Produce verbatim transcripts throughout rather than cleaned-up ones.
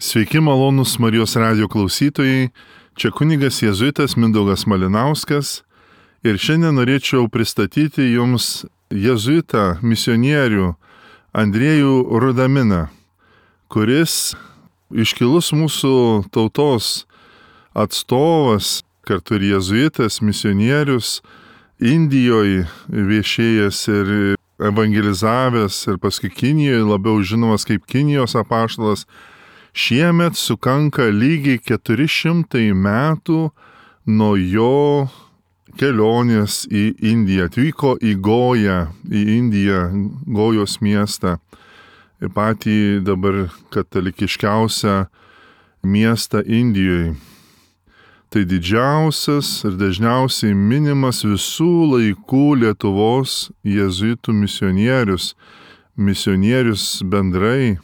Sveiki malonūs Marijos radijo klausytojai, čia kunigas jėzuitas Mindaugas Malinauskas ir šiandien norėčiau pristatyti jums jėzuitą misionierių Andriejų Rudaminą, kuris iškilus mūsų tautos atstovas, kartu ir jėzuitas, misionierius, Indijoje viešėjęs ir evangelizavęs ir paskui Kinijoje labiau žinomas kaip Kinijos apaštalas. Šiemet sukanka lygiai keturi šimtai metų nuo jo kelionės į Indiją. Atvyko į Goją, į Indiją, Gojos miestą, į patį dabar katalikiškiausią miestą Indijoje. Tai didžiausias ir dažniausiai minimas visų laikų Lietuvos jėzuitų misionierius, misionierius bendrai.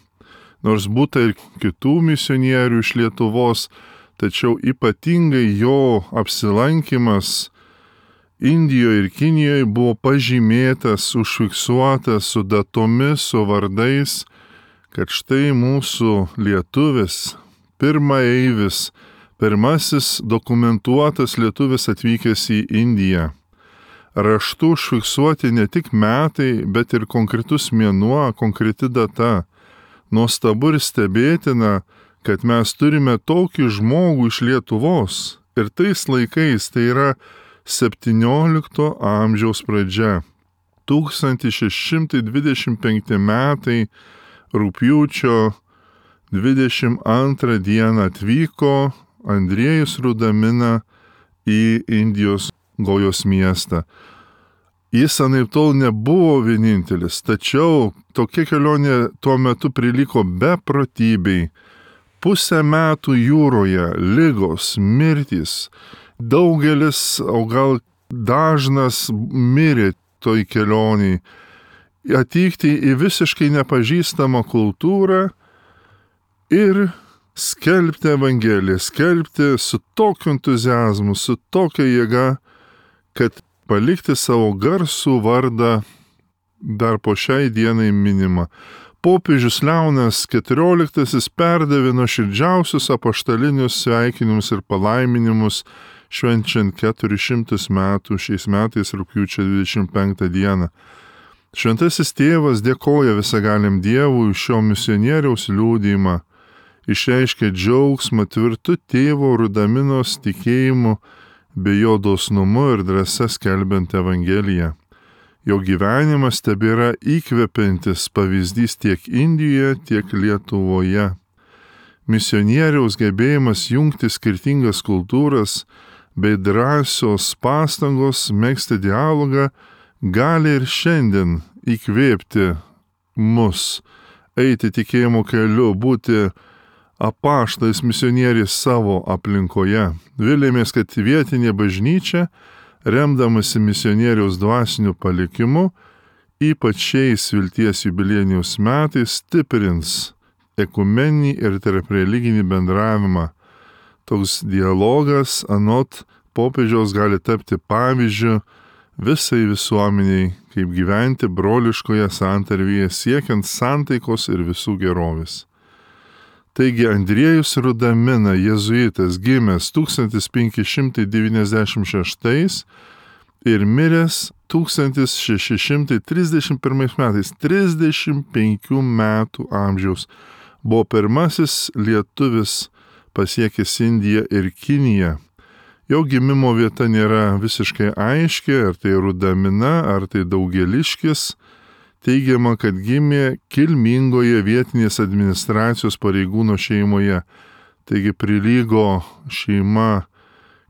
Nors būta ir kitų misionierių iš Lietuvos, tačiau ypatingai jo apsilankimas Indijoje ir Kinijoje buvo pažymėtas, užfiksuotas su datomis, su vardais, kad štai mūsų lietuvis, pirmaeivis, pirmasis dokumentuotas lietuvis atvykęs į Indiją. Raštu užfiksuoti ne tik metai, bet ir konkretus mėnuo, konkreti data. Nuostabu ir stebėtina, kad mes turime tokį žmogų iš Lietuvos ir tais laikais, tai yra septyniolikto amžiaus pradžia. tūkstantis šeši šimtai dvidešimt penkti metai rugpjūčio dvidešimt antrą dieną atvyko Andriejus Rudamina į Indijos Gojos miestą. Jis anaiptol nebuvo vienintelis, tačiau tokia kelionė tuo metu prilygo beprotybei. Pusę metų jūroje, ligos, mirtys, daugelis, o gal dažnas mirė toj kelioniai. Atvykti į visiškai nepažįstamą kultūrą ir skelbti Evangeliją, skelbti su tokiu entuziazmu, su tokia jėga, kad palikti savo garsų vardą dar po šiai dienai minimą. Popiežius Leonas keturioliktasis perdavė nuoširdžiausius apaštalinius sveikinimus ir palaiminimus švenčiant keturis šimtus metų šiais metais rugpjūčio dvidešimt penktą dieną. Šventasis tėvas dėkoja visagaliam Dievui už šio misionieriaus liudijimą, išreiškė džiaugsmą tvirtu tėvo Rudaminos tikėjimu bei jo dosnumu ir drąsa skelbiant Evangeliją. Jo gyvenimas tebėra įkvepiantis pavyzdys tiek Indijoje, tiek Lietuvoje. Misionieriaus gebėjimas jungti skirtingas kultūras bei drąsios pastangos megzti dialogą gali ir šiandien įkvėpti mus, eiti tikėjimo keliu, būti apaštais misionieriais savo aplinkoje. Vilėmės, kad vietinė bažnyčia, remdamasi misionieriaus dvasiniu palikimu, ypač šiais vilties jubiliejiniais metais stiprins ekumeninį ir tarpreliginį bendravimą. Toks dialogas anot popiežiaus gali tapti pavyzdžiu visai visuomeniai, kaip gyventi broliškoje santarvėje siekiant santaikos ir visų gerovės. Taigi Andriejus Rudamina, jėzuitas, gimęs tūkstantis penki šimtai devyniasdešimt šeštais ir miręs tūkstantis šeši šimtai trisdešimt pirmais metais, trisdešimt penkių metų amžiaus, buvo pirmasis lietuvis pasiekęs Indiją ir Kiniją. Jo gimimo vieta nėra visiškai aiški, ar tai Rudamina, ar tai Daugeliškis. Teigiama, kad gimė kilmingoje vietinės administracijos pareigūno šeimoje, taigi prilygo šeima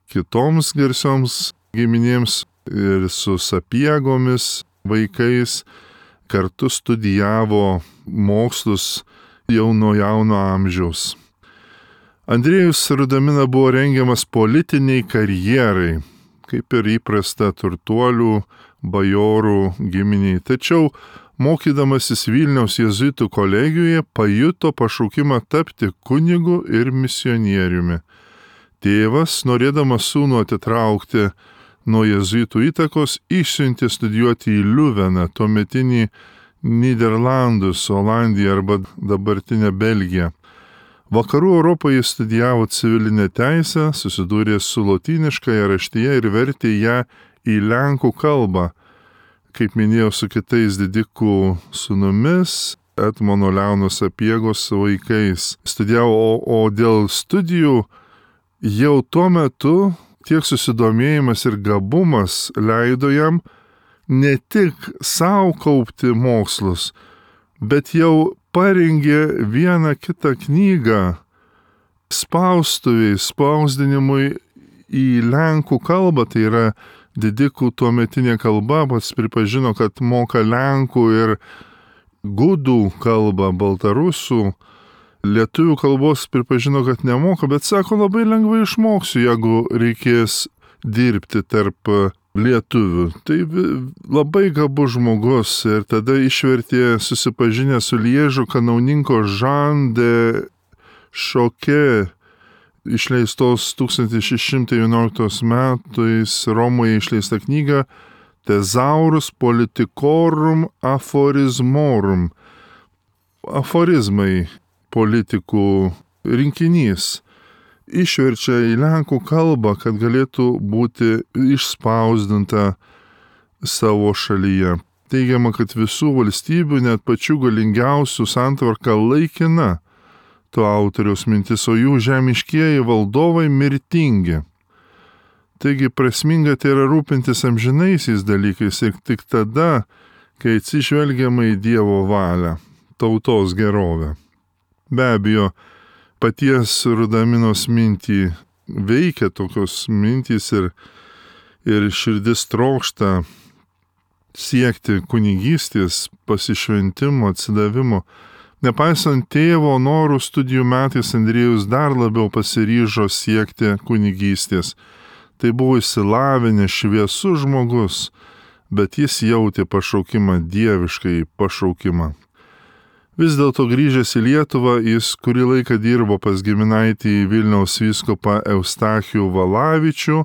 kitoms garsioms giminėms ir su sapiegomis vaikais, kartu studijavo mokslus jau nuo jauno amžiaus. Andriejus Rudamina buvo rengiamas politiniai karjerai, kaip ir įprasta turtuolių, bajorų giminiai, tačiau mokydamasis Vilniaus jėzuitų kolegijoje pajuto pašaukimą tapti kunigu ir misionieriumi. Tėvas, norėdamas sūnų atitraukti nuo jėzuitų įtakos, išsiuntė studijuoti į Liuveną, tuometinį Nyderlandus, Olandiją arba dabartinę Belgiją. Vakarų Europoje jis studijavo civilinę teisę, susidūrė su lotyniškąja raštyje ir vertė ją į lenkų kalbą, kaip minėjau, su kitais didikų sūnumis, Etmono Leono Sapiegos vaikais. Studijavo, o, o dėl studijų jau tuo metu tiek susidomėjimas ir gabumas leido jam ne tik savo kaupti mokslus, bet jau parengė vieną kitą knygą spaustuviai, spausdinimui į lenkų kalbą, tai yra didikų tuometinė kalba, pats pripažino, kad moka lenkų ir gudų kalbą, baltarusų, lietuvių kalbos pripažino, kad nemoka, bet sako, labai lengvai išmoksiu, jeigu reikės dirbti tarp lietuvių. Tai labai gabus žmogus ir tada išvertė susipažinę su Liežo kanauninko Jean de Choquet išleistos tūkstantis šeši šimtai vienuoliktais metais Romoje išleista knyga Thesaurus Politicorum Aphorismorum. Aforizmai politikų rinkinys. Išverčia į lenkų kalbą, kad galėtų būti išspausdinta savo šalyje. Teigiama, kad visų valstybių, net pačių galingiausių santvarka laikina to autoriaus mintis, o jų žemiškieji valdovai mirtingi. Taigi prasminga tai yra rūpintis amžinaisiais dalykais ir tik tada, kai atsižvelgiama į Dievo valią, tautos gerovę. Be abejo, paties Rudaminos mintį veikia tokios mintys ir, ir širdis trokšta siekti kunigystės, pasišventimo, atsidavimo. Nepaisant tėvo norų, studijų metais Andriejus dar labiau pasiryžo siekti kunigystės. Tai buvo išsilavinęs šviesus žmogus, bet jis jautė pašaukimą, dieviškai pašaukimą. Vis dėlto grįžęs į Lietuvą, jis kurį laiką dirbo pas giminaitį Vilniaus vyskupą Eustachijų Valavičių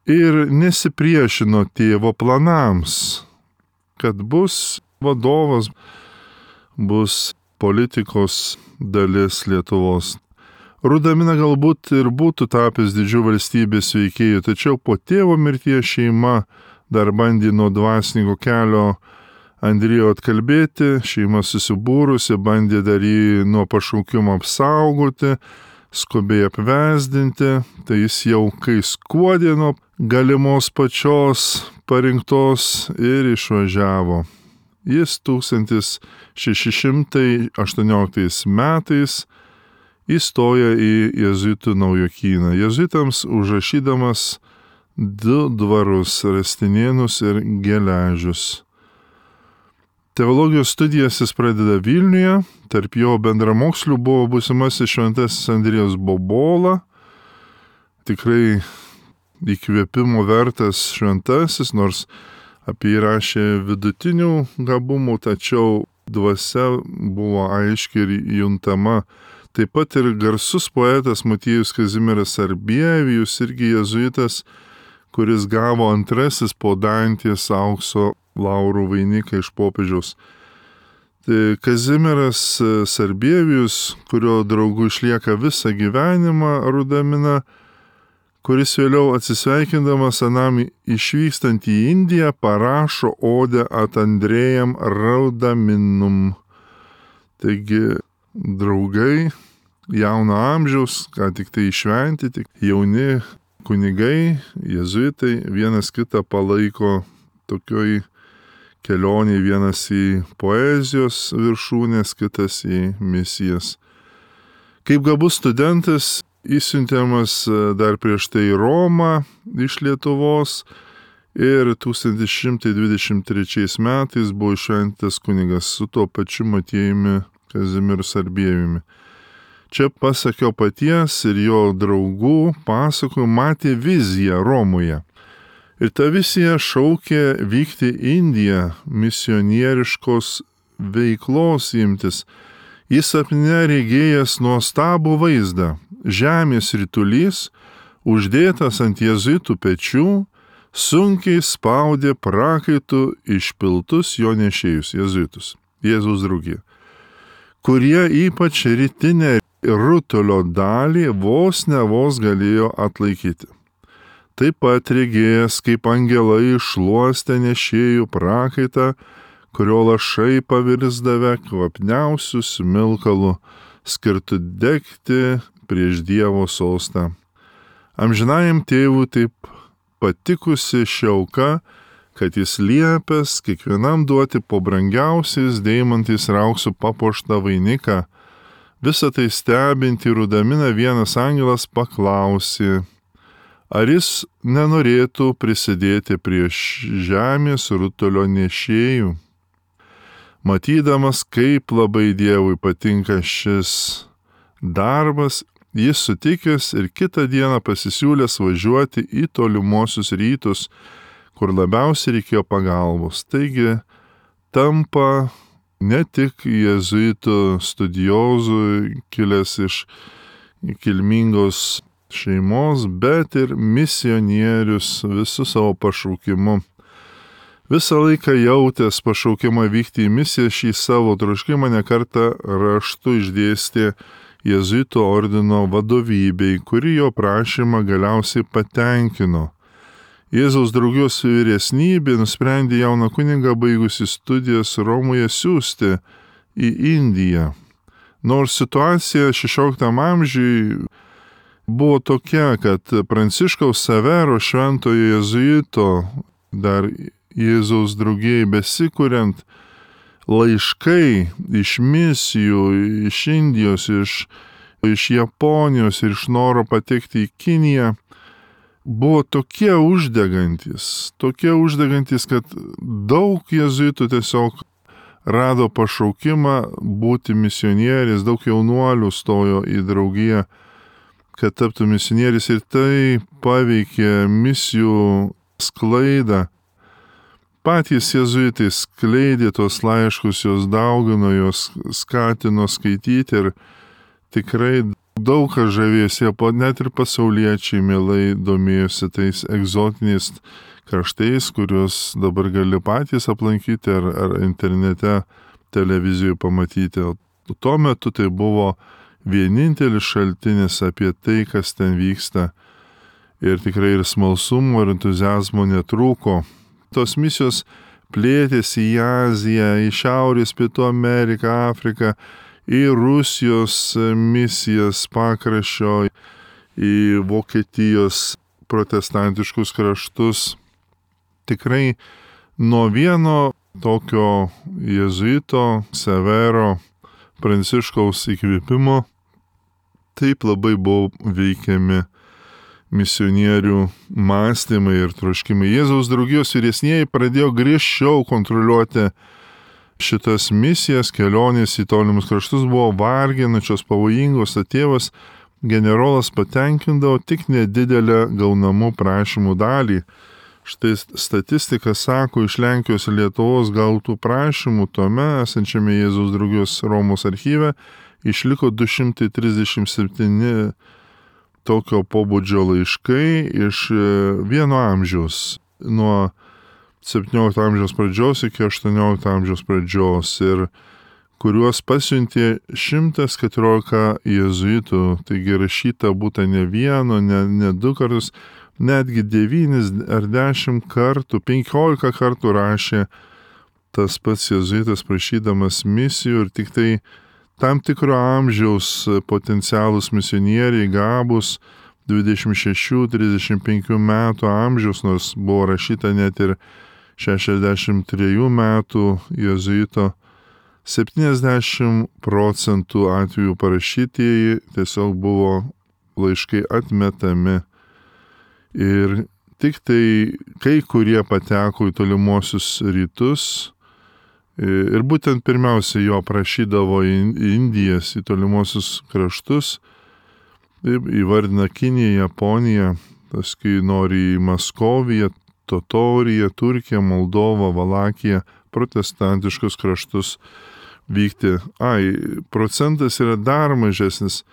ir nesipriešino tėvo planams, kad bus vadovas, bus politikos dalis Lietuvos. Rudamina galbūt ir būtų tapęs didžių valstybės veikėjų, tačiau po tėvo mirties šeima dar bandė nuo dvasininko kelio Andriejų atkalbėti, šeima susibūrusi, bandė dar jį nuo pašaukimo apsaugoti, skubiai apvesdinti, tai jis jau kai skuodė nuo galimos pačios parinktos ir išvažiavo. Jis tūkstantis šeši šimtai aštuonioliktais metais įstoja į jėzuitų naujokyną, jėzuitams užrašydamas du dvarus - Rastinėnus ir Geležius. Teologijos studijas jis pradeda Vilniuje, tarp jo bendramokslių buvo būsimasis šventasis Andriejus Bobola, tikrai įkvėpimo vertas šventasis, nors apie jį rašė vidutinių gabumų, tačiau dvasia buvo aiškiai ir juntama. Taip pat ir garsus poetas Motiejus Kazimieras Sarbievijus, irgi jėzuitas, kuris gavo antrasis po Dantės aukso laurų vainiką iš popiežiaus. Tai Kazimieras Sarbievijus, kurio draugu išlieka visą gyvenimą Rudamina, kuris vėliau atsisveikindamas anam išvykstant į Indiją parašo odę Ad Andrejam Rudaminum. Taigi draugai jauno amžiaus, ką tik tai išventi, tik jauni kunigai, jėzuitai vienas kitą palaiko tokioj kelionėje, vienas į poezijos viršūnės, kitas į misijas. Kaip gabus studentas, įsiuntiamas dar prieš tai į Romą iš Lietuvos ir tūkstantis šimtai dvidešimt trečiais metais buvo išventas kunigas su tuo pačiu Motiejumi Kazimieru Sarbievijumi. Čia pasakio paties ir jo draugų pasakojų matė viziją Romoje. Ir ta vizija šaukė vykti į Indiją, misionieriškos veiklos imtis. Jis sapne regėjęs nuostabų vaizdą. Žemės ritulys, uždėtas ant jėzuitų pečių, sunkiai spaudė prakaitų išpiltus jo nešėjus jėzuitus, Jėzaus draugija, kurie ypač rytinę rutulio dalį vos ne vos galėjo atlaikyti. Taip pat regėjęs, kaip angelai šluostė nešėjų prakaitą, kurio lašai pavirsdavę kvapniausių smilkalų, skirtų degti prieš Dievo sostą. Amžinajam tėvui taip patikusi šiauka, kad jis liepęs kiekvienam duoti po brangiausiais deimantais ir auksu papuoštą vainiką. Visą tai stebinti rudamina vienas angelas paklausė, ar jis nenorėtų prisidėti prie žemės rutulio nešėjų. Matydamas, kaip labai Dievui patinka šis darbas, jis sutikęs ir kitą dieną pasisiūlęs važiuoti į tolimuosius rytus, kur labiausiai reikėjo pagalbos. Taigi tampa ne tik jėzuitų studiozų, kilęs iš kilmingos šeimos, bet ir misionierius visų savo pašaukimu. Visą laiką jautęs pašaukimą vykti į misiją, šį savo troškimą nekartą raštu išdėstė jėzuitų ordino vadovybei, kuri jo prašymą galiausiai patenkino. Jėzaus draugijos vyresnybė nusprendė jauną kunigą baigusi studijas Romoje siųsti į Indiją. Nors situacija šešioliktam amžiui buvo tokia, kad Pranciškaus Savero šventojo jėzuito dar Jėzaus draugijai besikuriant laiškai iš misijų, iš Indijos, iš, iš Japonijos ir iš noro patekti į Kiniją buvo tokie uždegantis, tokie uždegantis, kad daug jėzuitų tiesiog rado pašaukimą būti misionieriais, daug jaunuolių stojo į draugiją, kad taptų misionieriais ir tai paveikė misijų sklaidą. Patys jėzuitai skleidė tos laiškus, jos daugino, jos skatino skaityti ir tikrai daug kas žavėjosi, net ir pasauliečiai mielai domėjosi tais egzotiniais kraštais, kuriuos dabar gali patys aplankyti ar, ar internete, televizijoje pamatyti. Tuo metu tai buvo vienintelis šaltinis apie tai, kas ten vyksta. Ir tikrai ir smalsumo, ir entuziazmo netrūko. Tos misijos plėtėsi į Aziją, į Šiaurės Pietų Ameriką, Afriką, į Rusijos misijas pakraščio, į Vokietijos protestantiškus kraštus. Tikrai nuo vieno tokio jėzuito Severo Pranciškaus įkvėpimo taip labai buvo veikiami misionierių mąstymai ir troškimai. Jėzaus draugijos vyresnieji pradėjo griežčiau kontroliuoti šitas misijas, kelionės į tolimus kraštus buvo varginančios, pavojingos, o tėvas generolas patenkindavo tik nedidelę gaunamų prašymų dalį. Štai statistika sako, iš Lenkijos ir Lietuvos gautų prašymų tuome esančiame Jėzaus draugijos Romos archyve išliko du šimtai trisdešimt septyni tokio pobūdžio laiškai iš vieno amžiaus, nuo septyniolikto amžiaus pradžios iki aštuoniolikto amžiaus pradžios, ir kuriuos pasiuntė šimtas keturiolika jėzuitų, taigi rašyta būta ne vieno, ne, ne du kartus, netgi devynis ar dešimt kartų, penkiolika kartų rašė tas pats jėzuitas prašydamas misijų, ir tik tai tam tikro amžiaus potencialus misionieriai gabus dvidešimt šešių trisdešimt penkių metų amžiaus, nors buvo rašyta net ir šešiasdešimt trejų metų jėzuito, septyniasdešimt procentų atvejų parašytieji tiesiog buvo laiškai atmetami. Ir tik tai kai kurie pateko į tolimuosius rytus, ir būtent pirmiausia jo prašydavo į Indijas, į tolimuosius kraštus, įvardina Kiniją, Japoniją, paskui nori į Maskoviją, Totoriją, Turkiją, Moldovą, Valakiją, protestantiškus kraštus vykti. Ai, procentas yra dar mažesnis.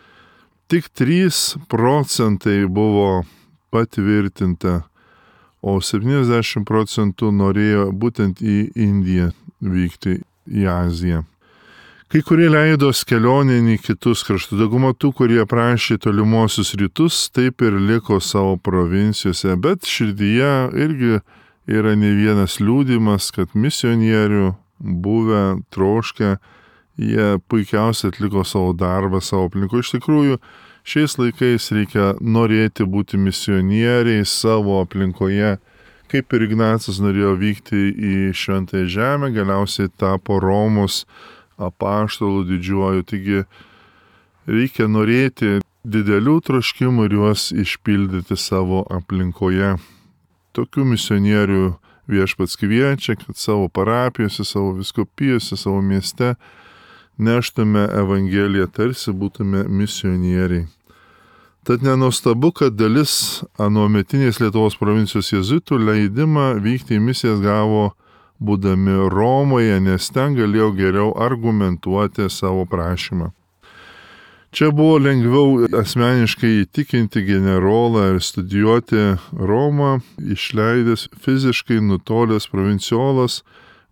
Tik trys procentai buvo patvirtinta, o septyniasdešimt procentų norėjo būtent į Indiją vykti, į Aziją. Kai kurie leidos kelionėn į kitus kraštus, dauguma tų, kurie prašė tolimuosius rytus, taip ir liko savo provincijose, bet širdyje irgi yra ne vienas liūdimas, kad misionierių buvę, troškę, jie puikiausiai atliko savo darbą savo aplinkoje. Iš tikrųjų, šiais laikais reikia norėti būti misionieriai savo aplinkoje, kaip ir Ignacas norėjo vykti į Šventąją Žemę, galiausiai tapo Romos apaštalų didžiuoju. Taigi reikia norėti didelių troškimų ir juos išpildyti savo aplinkoje. Tokių misionierių Viešpats kviečia, kad savo parapijose, savo vyskupijose, savo mieste neštume Evangeliją, tarsi būtume misionieriai. Tad nenuostabu, kad dalis anuometinės Lietuvos provincijos jėzuitų leidimą vykti į misijas gavo būdami Romoje, nes ten galėjo geriau argumentuoti savo prašymą. Čia buvo lengviau asmeniškai įtikinti generolą ir studijuoti Romą, išleidęs fiziškai nutolęs provinciolas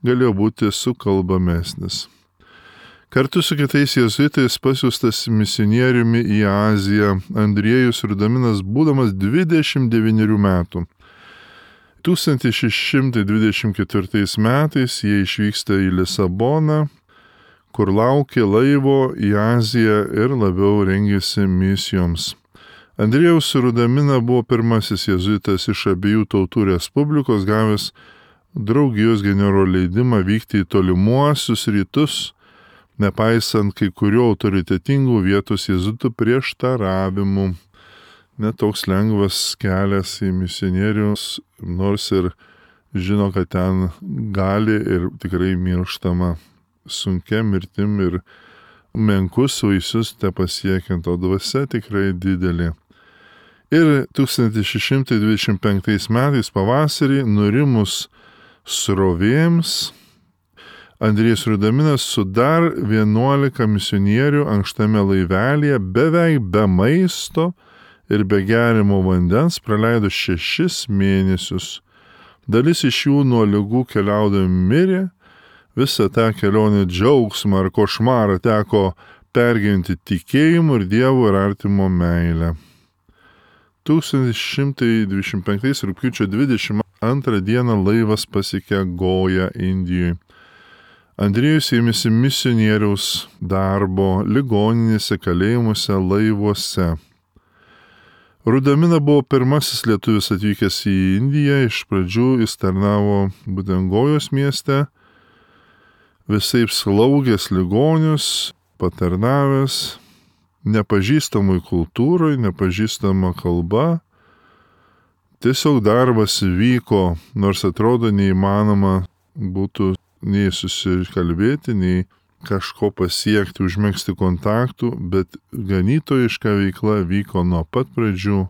galėjo būti sukalbamesnis. Kartu su kitais jėzuitais pasiųstas misionieriumi į Aziją Andriejus Rudaminas, būdamas dvidešimt devynerių metų. tūkstantis šeši šimtai dvidešimt ketvirtais metais jie išvyksta į Lisaboną, kur laukė laivo į Aziją ir labiau rengėsi misijoms. Andriejaus Rudamina buvo pirmasis jėzuitas iš abiejų tautų respublikos, gavęs draugijos generolo leidimą vykti į tolimuosius rytus, nepaisant kai kurių autoritetingų vietos jėzuitų prieštaravimų. Netoks lengvas kelias į misionierius, nors ir žino, kad ten gali ir tikrai mirštama sunkia mirtim ir menkus vaisius te pasiekiant, o dvasia tikrai didelė. Ir tūkstantis šeši šimtai dvidešimt penktais metais pavasarį nurimus srovėms, Andriejus Rudaminas su dar vienuolika misionierių ankštame laivelyje beveik be maisto ir be gerimo vandens praleido šešis mėnesius. Dalis iš jų nuo ligų keliaudami mirė, visą tą kelionę džiaugsmą ar košmarą teko pergyventi tikėjimu ir Dievo ir artimo meilę. tūkstantis šimtai dvidešimt penktais rugpjūčio dvidešimt antrą dieną laivas pasiekė Goją Indijoje. Andriejus ėmėsi misionieriaus darbo ligoninėse, kalėjimuose, laivuose. Rudamina buvo pirmasis lietuvis atvykęs į Indiją, iš pradžių jis tarnavo būtent Gojos mieste, visaip slaugęs ligonius, patarnavęs, nepažįstamai kultūrai, nepažįstama kalba. Tiesiog darbas vyko, nors atrodo neįmanoma būtų nei susikalbėti, nei kažko pasiekti, užmegzti kontaktų, bet ganytojiška veikla vyko nuo pat pradžių.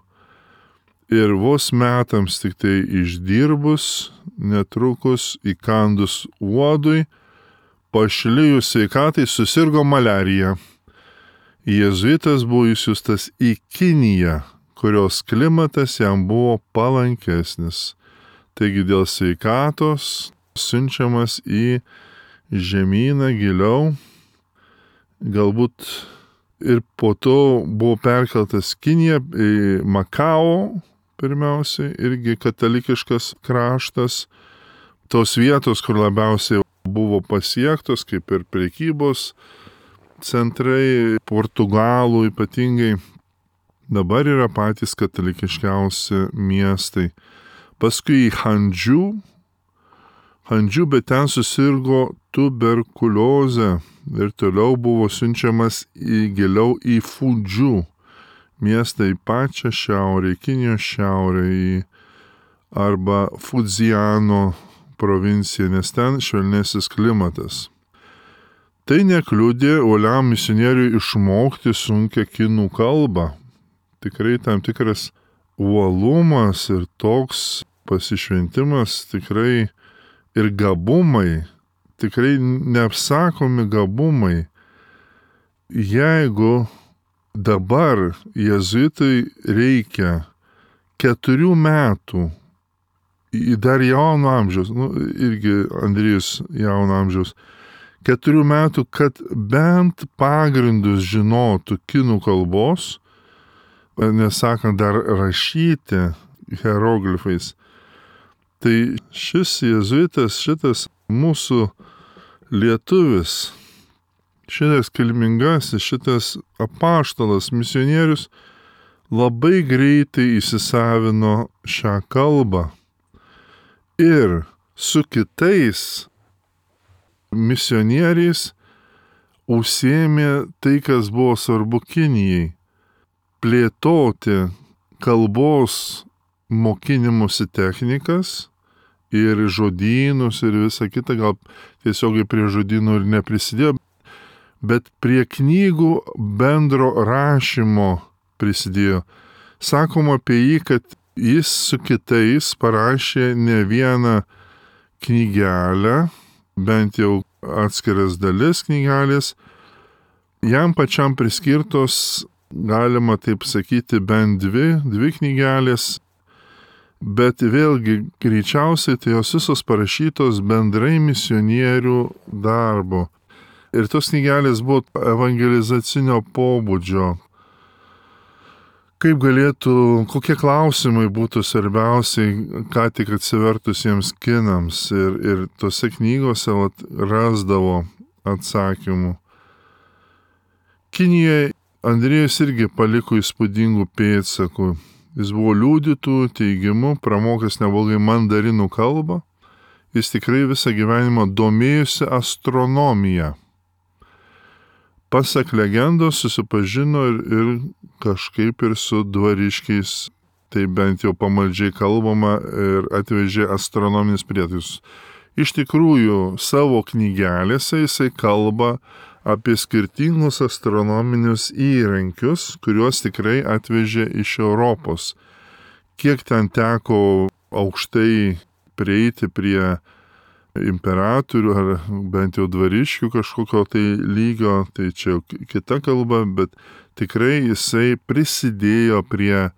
Ir vos metams tik tai išdirbus, netrukus įkandus uodui, pašlijus sveikatai susirgo malarija. Jėzuitas buvo išsiųstas į Kiniją, kurios klimatas jam buvo palankesnis. Taigi dėl sveikatos siunčiamas į žemyną giliau, galbūt ir po to buvo perkeltas Kinija, į Makao, pirmiausiai, irgi katalikiškas kraštas, tos vietos, kur labiausiai buvo pasiektos, kaip ir prekybos centrai, Portugalų ypatingai, dabar yra patys katalikiškiausi miestai. Paskui į Handžių, Handžių, bet ten susirgo tuberkuliozę ir toliau buvo siunčiamas į giliau į Fudžių miestą, į pačią šiaurę, į Kinijos šiaurę, į arba Fudziano provinciją, nes ten švelnesnis klimatas. Tai nekliudė uoliam misionieriui išmokti sunkią kinų kalbą. Tikrai tam tikras uolumas ir toks pasišventimas, tikrai ir gabumai, tikrai neapsakomi gabumai. Jeigu dabar jėzuitui reikia keturių metų, dar jauno amžiaus, nu, irgi Andriejus jauno amžiaus, keturių metų, kad bent pagrindus žinotų kinų kalbos, nesakant dar rašyti hieroglifais. Tai šis jėzuitas, šitas mūsų lietuvis, šitas kilmingasis, šitas apaštalas, misionierius labai greitai įsisavino šią kalbą ir su kitais misionieriais užsiėmė tai, kas buvo svarbu Kinijai - plėtoti kalbos mokinimosi technikas ir žodynus ir visa kita, gal tiesiogiai prie žodynų ir neprisidėjo, bet prie knygų bendro rašymo prisidėjo. Sakoma apie jį, kad jis su kitais parašė ne vieną knygelę, bent jau atskiras dalis knygelės, jam pačiam priskirtos, galima taip sakyti, bent dvi, dvi knygelės, bet vėlgi greičiausiai tai jos visos parašytos bendrai misionierių darbo. Ir tos knygelės buvo evangelizacinio pobūdžio. Kaip galėtų, kokie klausimai būtų svarbiausiai, ką tik atsivertusiems kinams. Ir, ir tose knygose vat, rasdavo atsakymų. Kinijoje Andriejus irgi paliko įspūdingų pėdsakų. Jis buvo liudytų teigimu, pramokęs neblogai mandarinų kalbą. Jis tikrai visą gyvenimą domėjosi astronomija. Pasak legendos susipažino ir, ir kažkaip ir su dvariškiais, tai bent jau pamaldžiai kalbama, ir atvežė astronominius prietaisus. Iš tikrųjų, savo knygelėse jisai kalba apie skirtingus astronominius įrankius, kuriuos tikrai atvežė iš Europos. Kiek ten teko aukštai prieiti prie imperatorių ar bent jau dvariškių kažkokio tai lygio, tai čia kita kalba, bet tikrai jisai prisidėjo prie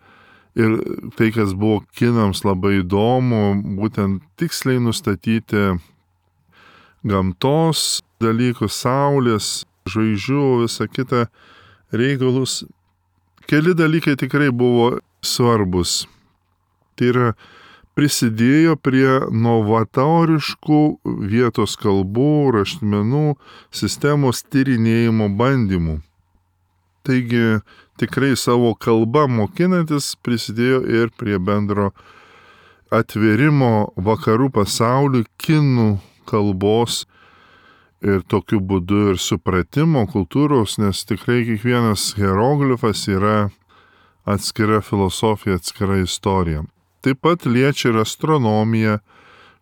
ir tai, kas buvo kinams labai įdomu, būtent tiksliai nustatyti gamtos dalykus, saulės, žvaigždžių, visą kitą reikalus. Keli dalykai tikrai buvo svarbus. Tai yra prisidėjo prie novatoriškų vietos kalbų, raštmenų, sistemos tyrinėjimo bandymų. Taigi tikrai savo kalbą mokinantis prisidėjo ir prie bendro atvėrimo vakarų pasauliui kinų kalbos ir tokiu būdu ir supratimo kultūros, nes tikrai kiekvienas hieroglifas yra atskira filosofija, atskira istorija. Taip pat liečia ir astronomiją.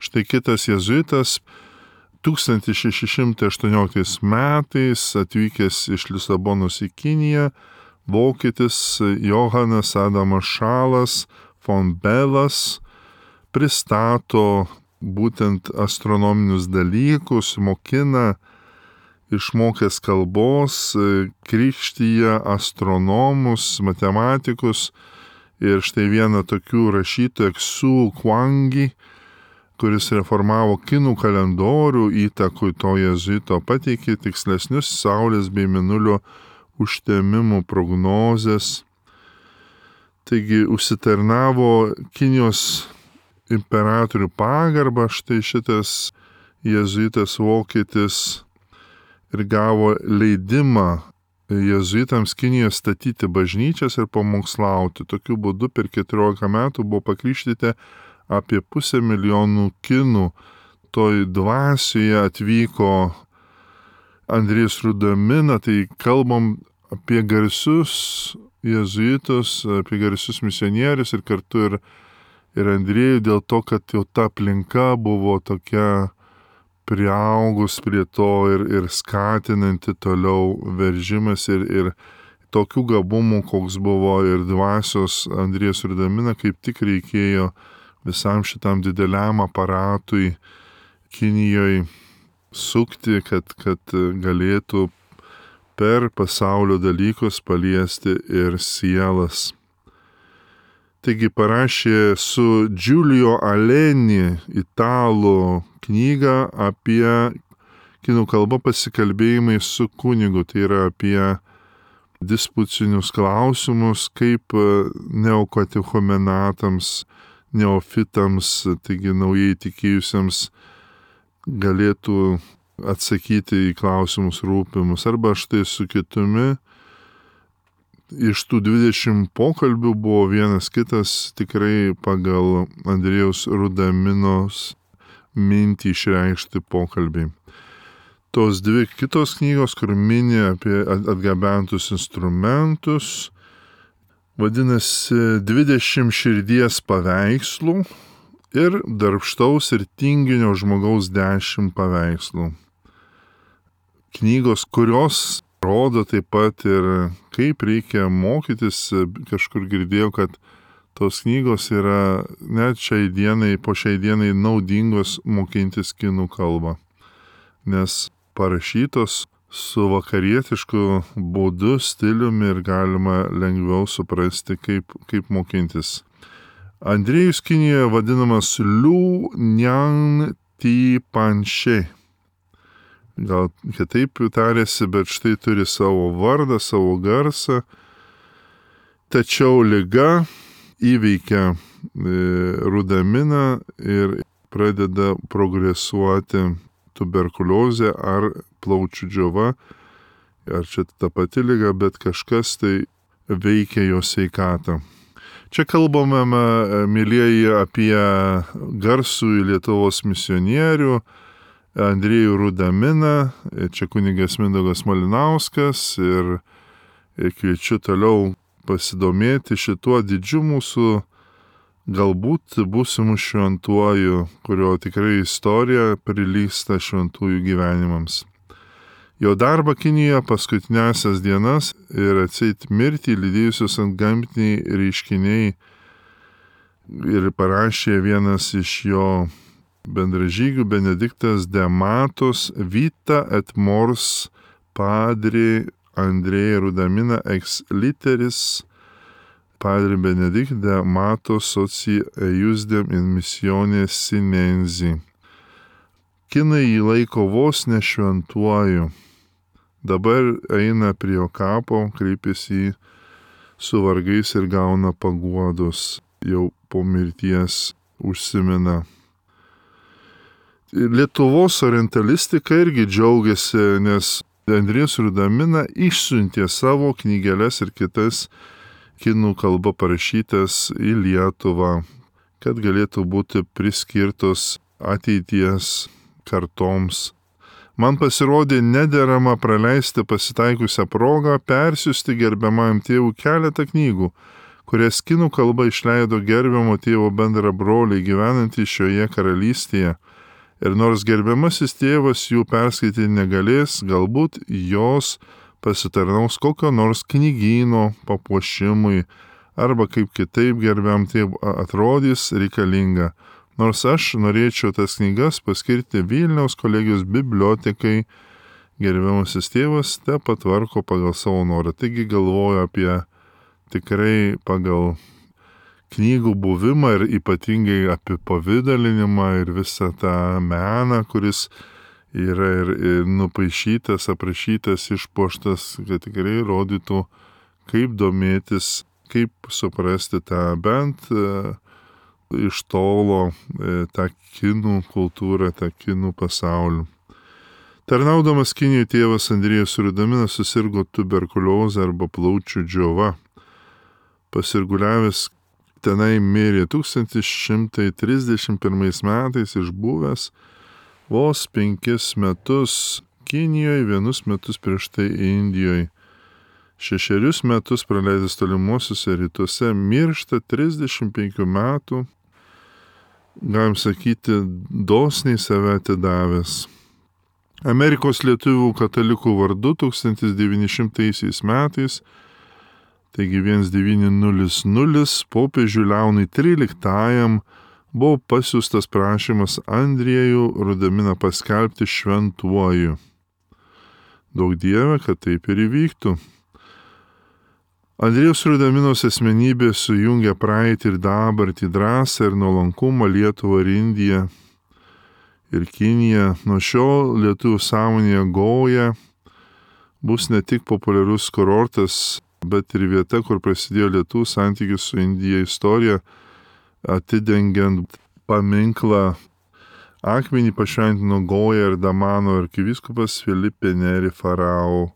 Štai kitas jėzuitas tūkstantis šeši šimtai aštuonioliktais metais atvykęs iš Lisabonos į Kiniją, vokietis Johanas Adamas Šalas von Belas pristato būtent astronominius dalykus, mokina, išmokęs kalbos, krikštyje astronomus, matematikus. Ir štai vieną tokių rašytojų Xu Kuangi, kuris reformavo kinų kalendorių įtakui to jėzuito, pateikė tikslesnius saulės bei mėnulio užtemimų prognozes. Taigi užsitarnavo Kinijos imperatorių pagarbą, štai šitas jėzuitas vokietis, ir gavo leidimą jėzuitams Kinijoje statyti bažnyčias ir pamokslauti. Tokiu būdu per keturiolika metų buvo pakrikštyti apie pusę milijonų kinų. Toj dvasioje atvyko Andriejus Rudamina, tai kalbam apie garsius jėzuitus, apie garsius misionierius ir kartu ir, ir Andriejų dėl to, kad jau ta aplinka buvo tokia priaugus prie to ir, ir skatinanti toliau veržimas ir, ir tokių gabumų, koks buvo ir dvasios Andriejus Rudamina, kaip tik reikėjo visam šitam dideliam aparatui Kinijoje sukti, kad, kad galėtų per pasaulio dalykus paliesti ir sielas. Taigi parašė su Giulio Aleni italų knygą apie kinų kalba pasikalbėjimai su kunigu, tai yra apie dispucinius klausimus, kaip neokatechumenatams, neofitams, taigi naujai tikėjusiems galėtų atsakyti į klausimus rūpimus. Arba štai su kitumi, iš tų dvidešimt pokalbių buvo vienas kitas tikrai pagal Andriejaus Rudaminos mintį išreikšti pokalbiai. Tos dvi kitos knygos, kur mini apie atgabentus instrumentus, vadinasi dvidešimt širdies paveikslų ir darbštaus ir tinginio žmogaus dešimt paveikslų. Knygos, kurios rodo taip pat ir kaip reikia mokytis, kažkur girdėjau, kad tos knygos yra net šiai dienai, po šiai dienai naudingos mokintis kinų kalbą, nes parašytos su vakarietišku būdu, stiliumi ir galima lengviau suprasti, kaip, kaip mokintis. Andriejus Kinijoje vadinamas Liu Niang Ti Panšė. Gal kitaip tarėsi, bet štai turi savo vardą, savo garsą. Tačiau liga įveikia Rudaminą ir pradeda progresuoti tuberkuliozė ar plaučių džiova. Ar čia ta pati liga, bet kažkas tai veikia jo sveikatą. Čia kalbame, mylieji, apie garsų Lietuvos misionierių Andriejų Rudaminą, čia kunigas Mindaugas Malinauskas ir kviečiu toliau pasidomėti šituo didžiu mūsų galbūt būsimų šventuoju, kurio tikrai istorija prilygsta šventųjų gyvenimams. Jo darbą Kinijoje paskutinėsias dienas ir atseit mirtį lydėjusius antgamtiniai reiškiniai ir parašė vienas iš jo bendražygių Benediktas de Matos Vita et Mors Padre Andrei Rudamina ex literis Padre Benedikt de Matos soci eiusdem in missione sinensi. Kinai jį laiko vos ne šventuoju. Dabar eina prie jo kapo, kreipiasi su vargais ir gauna paguodos, jau po mirties užsimena. Lietuvos orientalistika irgi džiaugiasi, nes Andriejus Rudamina išsiuntė savo knygeles ir kitas kinų kalba parašytas į Lietuvą, kad galėtų būti priskirtos ateities kartoms. Man pasirodė nederama praleisti pasitaikusią progą persiųsti gerbiamajam tėvui keletą knygų, kurias kinų kalba išleido gerbiamo tėvo bendra broliai gyvenantys šioje karalystėje. Ir nors gerbiamasis tėvas jų perskaityti negalės, galbūt jos pasitarnaus kokio nors knygyno papuošimui arba kaip kitaip gerbiam tėvui atrodys reikalinga. Nors aš norėčiau tas knygas paskirti Vilniaus kolegijos bibliotekai, gerbiamasis tėvas te patvarko pagal savo norą. Taigi galvoju apie tikrai pagal knygų buvimą ir ypatingai apie pavidalinimą ir visą tą meną, kuris yra ir, ir nupaišytas, aprašytas, išpuoštas, kad tikrai rodytų, kaip domėtis, kaip suprasti tą bent e, iš tolo e, tą kinų kultūrą, tą kinų pasaulį. Tarnaudamas Kinijoje tėvas Andriejus Rudaminas susirgo tuberkuliozę arba plaučių džiova. Pasirguliavęs tenai mirė tūkstantis šimtas trisdešimt pirmais metais, išbuvęs vos penkis metus Kinijoje, vienus metus prieš tai Indijoje. Šešerius metus praleidęs tolimuosiuose rytuose, miršta trisdešimt penkių metų, galim sakyti, dosniai save atidavęs. Amerikos lietuvių katalikų vardu tūkstantis devyni šimtai metais, taigi devyni nulis nulis, popiežiui Leonui tryliktajam buvo pasiųstas prašymas Andriejų Rudaminą paskelbti šventuoju. Daug Dieve, kad taip ir įvyktų. Andriejaus Rudaminos asmenybė sujungia praeitį ir dabartį, drąsą ir nuolankumą, Lietuvą ir Indiją. ir Kinija. Nuo šiol lietuvių sąmonėje Goja bus ne tik populiarus kurortas, bet ir vieta, kur prasidėjo lietuvių santykių su Indija istorija, atidengiant paminklą akmenį pašventino Goja ir Damano arkivyskupas Filipe Neri Farao.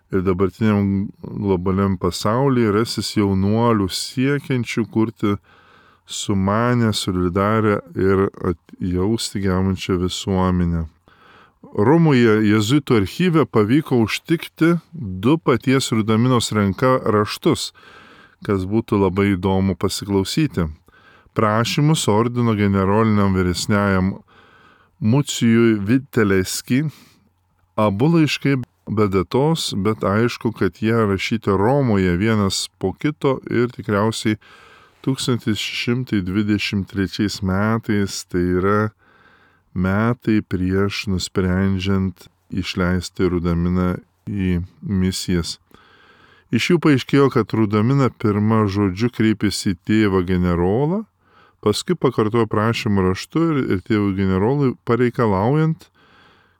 Ir dabartiniam globaliam pasaulyje rasis jaunuolių siekiančių kurti sumanę, solidarę ir atjausti gebančią visuomenę. Romoje jėzuitų archyve pavyko užtikti du paties Rudaminos ranka raštus, kas būtų labai įdomu pasiklausyti. Prašymus ordino generoliniam vyresniajam Mucijui Viteleski. Abu laiškai be datos, bet aišku, kad jie rašyti Romoje vienas po kito ir tikriausiai tūkstantis šeši šimtai dvidešimt trečiais metais, tai yra metai prieš nusprendžiant išleisti Rudaminą į misijas. Iš jų paaiškėjo, kad Rudamina pirmą žodžiu kreipėsi į tėvą generolą, paskui pakartojo prašymą raštu ir, ir tėvų generolui pareikalaujant,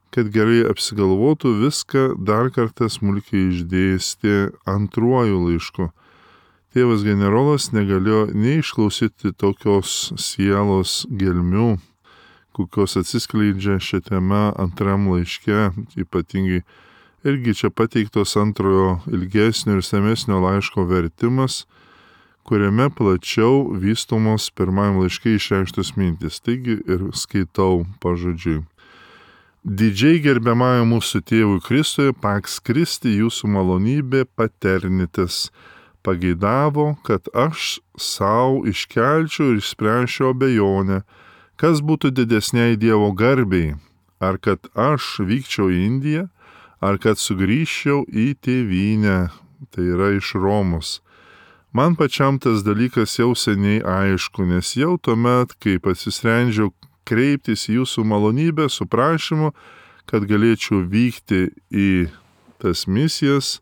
kad gerai apsigalvotų, viską dar kartą smulkiai išdėstė antruoju laišku. Tėvas generolas negalėjo neišklausyti tokios sielos gelmių, kokios atsiskleidžia šią temą antram laiške, ypatingai irgi čia pateiktos antrojo ilgesnio ir samesnio laiško vertimas, kuriame plačiau vystomos pirmajam laiške išreikštos mintis. Taigi ir skaitau pažodžiui. Didžiai gerbiamąjų mūsų tėvui Kristui, Pax Christi, jūsų malonybė paternitas, pageidavo, kad aš savo iškelčiau ir išspręsčiau abejonę, kas būtų didesniai Dievo garbei, ar kad aš vykčiau į Indiją, ar kad sugrįžčiau į tėvynę, tai yra iš Romos. Man pačiam tas dalykas jau seniai aišku, nes jau tuomet, kai pasisprendžiau kreiptis į jūsų malonybę su prašymu, kad galėčiau vykti į tas misijas,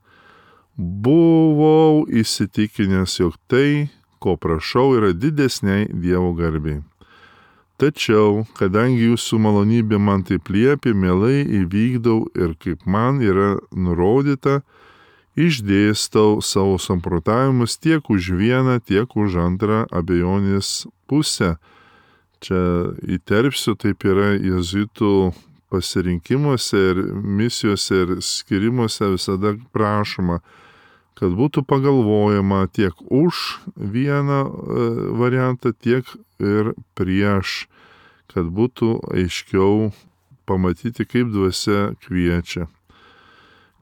buvau įsitikinęs, jog tai, ko prašau, yra didesniai Dievo garbei. Tačiau, kadangi jūsų malonybė man taip liepė, mielai įvykdau ir kaip man yra nurodyta, išdėstau savo samprotavimus tiek už vieną, tiek už antrą abejonės pusę. Čia įterpsiu, taip yra jėzuitų pasirinkimuose ir misijose ir skirimuose visada prašoma, kad būtų pagalvojama tiek už vieną variantą, tiek ir prieš, kad būtų aiškiau pamatyti, kaip dvasia kviečia.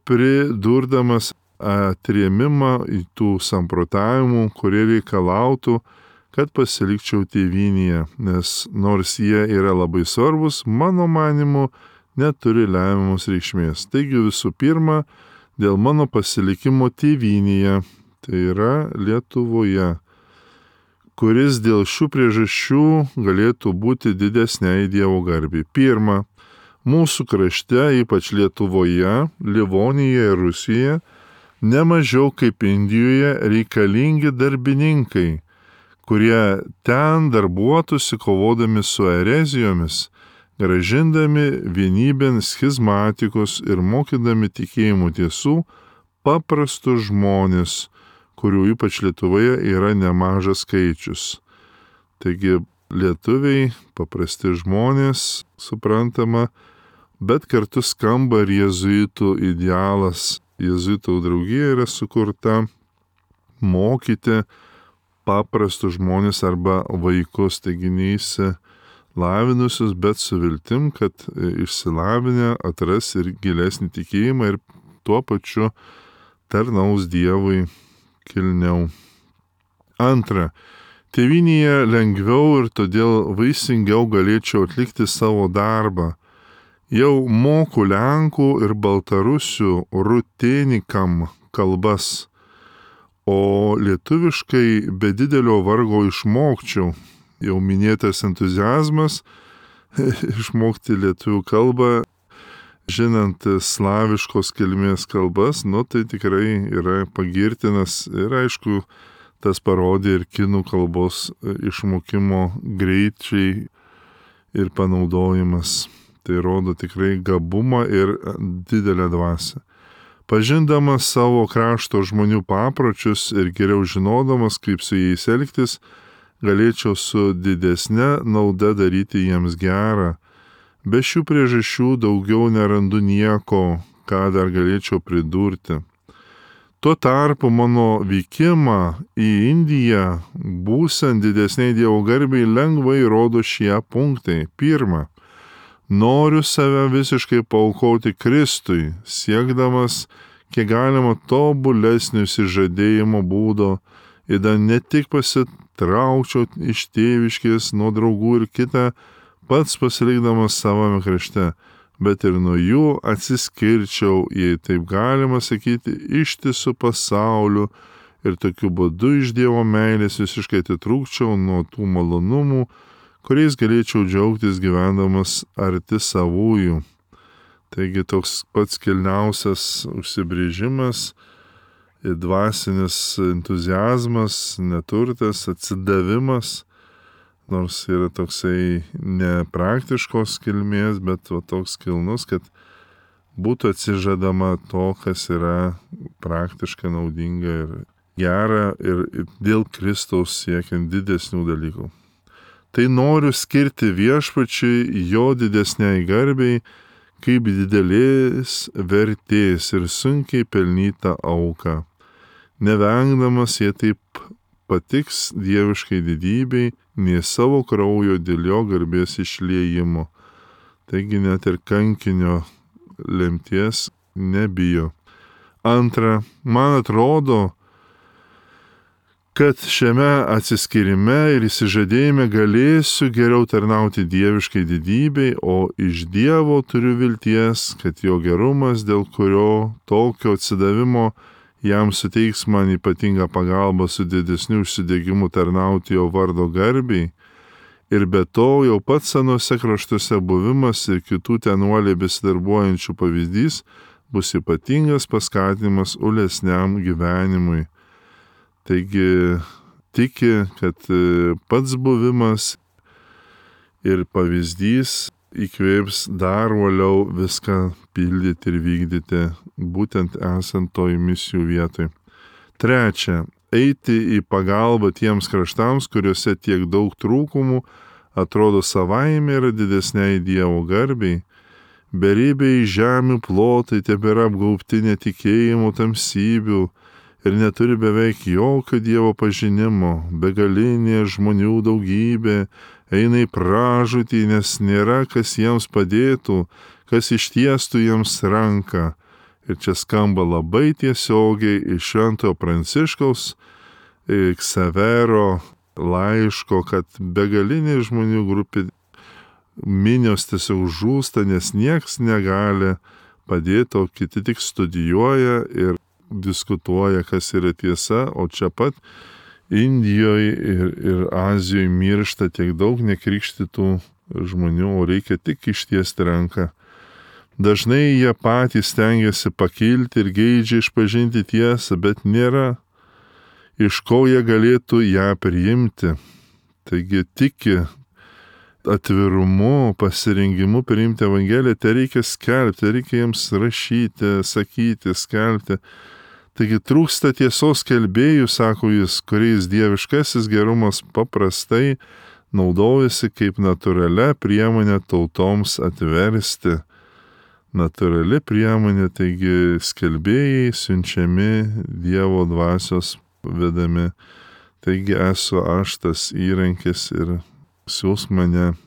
Pridurdamas atrėmimą į tų samprotavimų, kurie reikalautų, kad pasilikčiau tėvynėje, nes nors jie yra labai svarbus, mano manimu, neturi lemiamos reikšmės. Taigi visų pirma, dėl mano pasilikimo tėvynėje, tai yra Lietuvoje, kuris dėl šių priežasčių galėtų būti didesniai Dievo garbei. Pirma, mūsų krašte, ypač Lietuvoje, Livonijoje ir Rusijoje, nemažiau kaip Indijoje reikalingi darbininkai, kurie ten darbuotųsi kovodami su erezijomis, gražindami vienybėn schizmatikus ir mokydami tikėjimų tiesų paprastus žmonės, kurių ypač Lietuvoje yra nemažas skaičius. Taigi lietuviai, paprasti žmonės, suprantama, bet kartu skamba ir jėzuitų idealas. Jėzuitų draugija yra sukurta mokyti paprastus žmonės arba vaikus, taigi neįsilavinusius, bet su viltim, kad išsilavinę atras ir gilesnį tikėjimą ir tuo pačiu tarnaus Dievui kilniau. Antra, tėvynėje lengviau ir todėl vaisingiau galėčiau atlikti savo darbą. Jau moku lenkų ir baltarusių rutėnikam kalbas, o lietuviškai be didelio vargo išmokčiau. Jau minėtas entuziazmas išmokti lietuvių kalbą, žinant slaviškos kilmės kalbas, nu tai tikrai yra pagirtinas ir aišku, tas parodė ir kinų kalbos išmokimo greičiai ir panaudojimas. Tai rodo tikrai gabumą ir didelę dvasią. Pažindamas savo krašto žmonių papročius ir geriau žinodamas, kaip su jais elgtis, galėčiau su didesne nauda daryti jiems gerą. Be šių priežasčių daugiau nerandu nieko, ką dar galėčiau pridurti. Tuo tarpu mano vykimą į Indiją, būsant didesniai Dievo garbei, lengvai rodo šie punktai. Pirma, noriu save visiškai paaukoti Kristui, siekdamas kiek galima tobulesnio išsižadėjimo būdo, ir ne tik pasitraukčiau iš tėviškės nuo draugų ir kitą, pats pasilikdamas savame krašte, bet ir nuo jų atsiskirčiau, jei taip galima sakyti, ištisų pasauliu ir tokiu būdu iš Dievo meilės visiškai atitrūkčiau nuo tų malonumų, kuriais galėčiau džiaugtis gyvendamas arti savųjų. Taigi toks pats kilniausias užsibrėžimas ir dvasinis entuziazmas, neturtas, atsidavimas, nors yra toksai nepraktiškos kilmės, bet va, toks kilnus, kad būtų atsižadama to, kas yra praktiškai naudinga ir gera ir dėl Kristaus siekiant didesnių dalykų. Tai noriu skirti viešpačiui jo didesniai garbei, kaip didelės vertės ir sunkiai pelnytą auką, nevengdamas jie taip patiks dieviškai didybei, nei savo kraujo dėl jo garbės išliejimo. Taigi net ir kankinio lemties nebijo. Antra, man atrodo, kad šiame atsiskyrime ir įsižadėjime galėsiu geriau tarnauti dieviškai didybei, o iš Dievo turiu vilties, kad jo gerumas, dėl kurio tokio atsidavimo jam suteiks man ypatingą pagalbą su didesniu užsidegimu tarnauti jo vardo garbei, ir be to jau pats senuose kraštuose buvimas ir kitų tenuoliai besidarbuojančių pavyzdys bus ypatingas paskatinimas ulesniam gyvenimui. Taigi tiki, kad pats buvimas ir pavyzdys įkvėps dar uoliau viską pildyti ir vykdyti, būtent esant toj misijų vietoj. Trečia, eiti į pagalbą tiems kraštams, kuriuose tiek daug trūkumų atrodo savaime yra didesniai Dievo garbei. Beribiai žemių plotai tebėra apgaubti netikėjimo tamsybių ir neturi beveik jokio Dievo pažinimo, begalinė žmonių daugybė eina į pražūtį, nes nėra, kas jiems padėtų, kas ištiestų jiems ranką. Ir čia skamba labai tiesiogiai iš Šventojo Pranciškaus Ksavero laiško, kad begalinė žmonių grupė minios tiesiog žūsta, nes nieks negali padėti, o kiti tik studijuoja ir diskutuoja, kas yra tiesa, o čia pat Indijoje ir, ir Azijoje miršta tiek daug nekrikštytų žmonių, o reikia tik ištiesti ranką. Dažnai jie patys stengiasi pakilti ir geidžia išpažinti tiesą, bet nėra, iš ko jie galėtų ją priimti. Taigi tiki atvirumu, pasirengimu priimti Evangeliją, tai reikia skelbti, reikia jiems rašyti, sakyti, skelbti. Taigi trūksta tiesos skelbėjų, sako jis, kuriais dieviškasis gerumas paprastai naudojasi kaip natūralia priemonė tautoms atversti. Natūrali priemonė, taigi skelbėjai siunčiami Dievo dvasios vedami. Taigi esu aš tas įrankis ir siūs mane,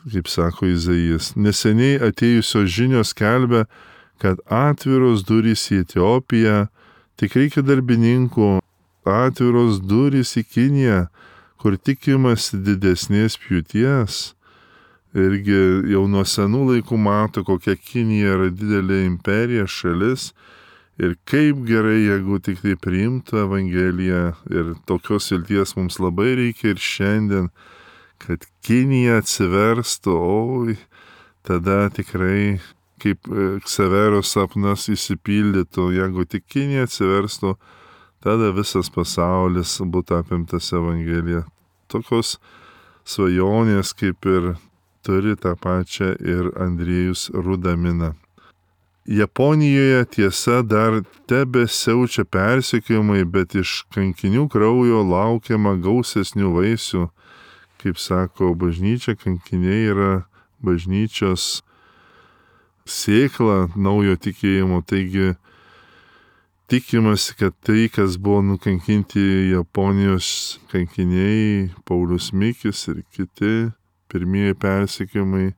kaip sako Izaijas. Neseniai atėjusios žinios skelbia, kad atviros durys į Etiopiją, tik reikia darbininkų, atviros durys į Kiniją, kur tikimasi didesnės pjūties. Irgi jau nuo senų laikų mato, kokia Kinija yra didelė imperija, šalis, ir kaip gerai, jeigu tik tai priimtų Evangeliją, ir tokios vilties mums labai reikia ir šiandien, kad Kinija atsiverstų, oi, tada tikrai kaip Ksavero sapnas įsipildytų, jeigu tik Kinija atsiverstų, tada visas pasaulis būtų apimtas Evangelija. Tokios svajonės kaip ir turi tą pačią ir Andriejus Rudamina. Japonijoje tiesa dar tebe siaučia persekiojimai, bet iš kankinių kraujo laukiama gausesnių vaisių. Kaip sako bažnyčia, kankiniai yra bažnyčios sėkla naujo tikėjimo, taigi tikimasi, kad tai, kas buvo nukankinti Japonijos kankiniai, Paulius Mikis ir kiti pirmieji persekiojimai,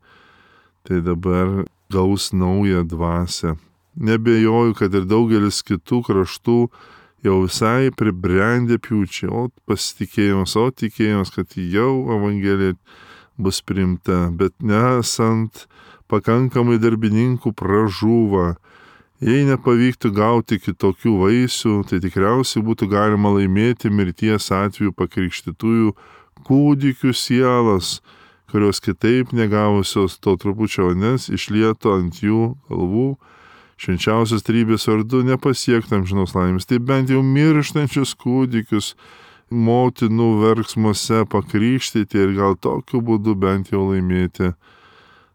tai dabar gaus naują dvasią. Nebejoju, kad ir daugelis kitų kraštų jau visai pribrendę pjūčiai, o pasitikėjimas, o tikėjimas, kad jau Evangelija bus priimta, bet nesant pakankamai darbininkų pražūva. Jei nepavyktų gauti kitokių vaisių, tai tikriausiai būtų galima laimėti mirties atveju pakrikštytųjų kūdikių sielas, kurios kitaip negavusios to trupučio vandens išlieto ant jų galvų, švenčiausios trybės vardu nepasiektų amžinos laimės. Tai bent jau mirštančius kūdikius motinų verksmuose pakrikštyti ir gal tokiu būdu bent jau laimėti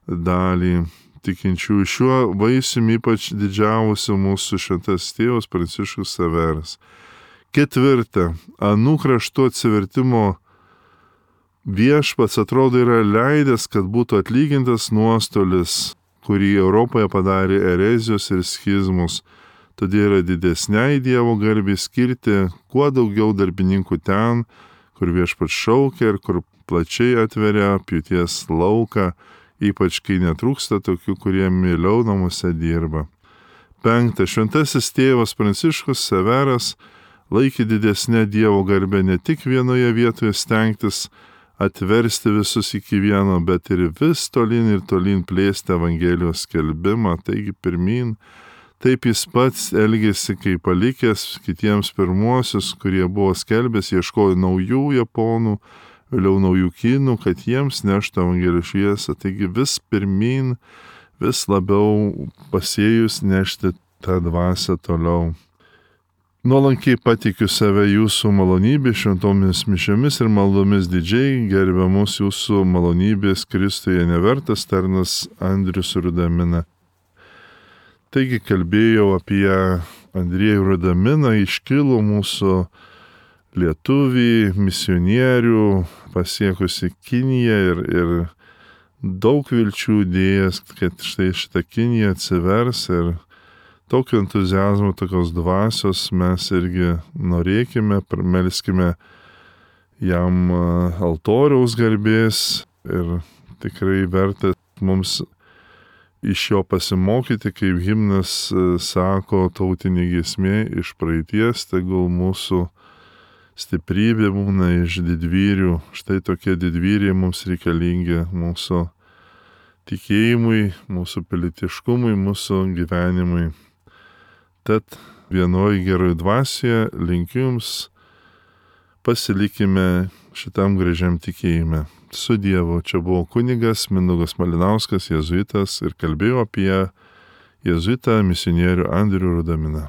dalį tikinčių. Šiuo vaisiumi ypač didžiavosi mūsų šventas tėvas Pranciškus Ksaveras. Ketvirta, anų kraštų atsivertimo viešpats atrodo yra leidęs, kad būtų atlygintas nuostolis, kurį Europoje padarė erezijos ir schizmus. Todėl yra didesniai Dievo garbei skirti kuo daugiau darbininkų ten, kur viešpats šaukia ir kur plačiai atveria pjūties lauką, ypač kai netrūksta tokių, kurie mieliau namuose dirba. Penkta, šventasis tėvas Pranciškus Ksaveras laikė didesnę Dievo garbę ne tik vienoje vietoje stengtis atversti visus iki vieno, bet ir vis tolyn ir tolyn plėsti Evangelijos skelbimą, taigi pirmin. Taip jis pats elgėsi, kai palikęs kitiems pirmuosius, kurie buvo skelbęs, ieškojo naujų japonų, vėliau naujų kinų, kad jiems neštų Evangelijos šviesą. Taigi vis pirmin, vis labiau pasėjus nešti tą dvasią toliau. Nuolankiai patikiu save jūsų malonybė šventomis mišiomis ir maldomis didžiai, gerbiamus jūsų malonybės Kristuje nevertas tarnas Andrius Rudamina. Taigi kalbėjau apie Andriejų Rudaminą, iškilų mūsų lietuvį, misionierių, pasiekusi Kiniją ir, ir daug vilčių dėjęs, kad štai šitą Kiniją atsivers ir tokio entuziazmo, tokios dvasios mes irgi norėkime, melskime jam altoriaus garbės ir tikrai verta mums iš jo pasimokyti, kaip himnas sako, tautinė giesmė iš praeities, tegul mūsų stiprybė būna iš didvyrių. Štai tokie didvyriai mums reikalingi mūsų tikėjimui, mūsų pilietiškumui, mūsų gyvenimui. Tad vienoj geroj dvasioje linkiu jums, pasilikime šitam gražiam tikėjime. Su Dievu, čia buvo kunigas Mindaugas Malinauskas, jėzuitas, ir kalbėjau apie jėzuitą misionierių Andrių Rudaminą.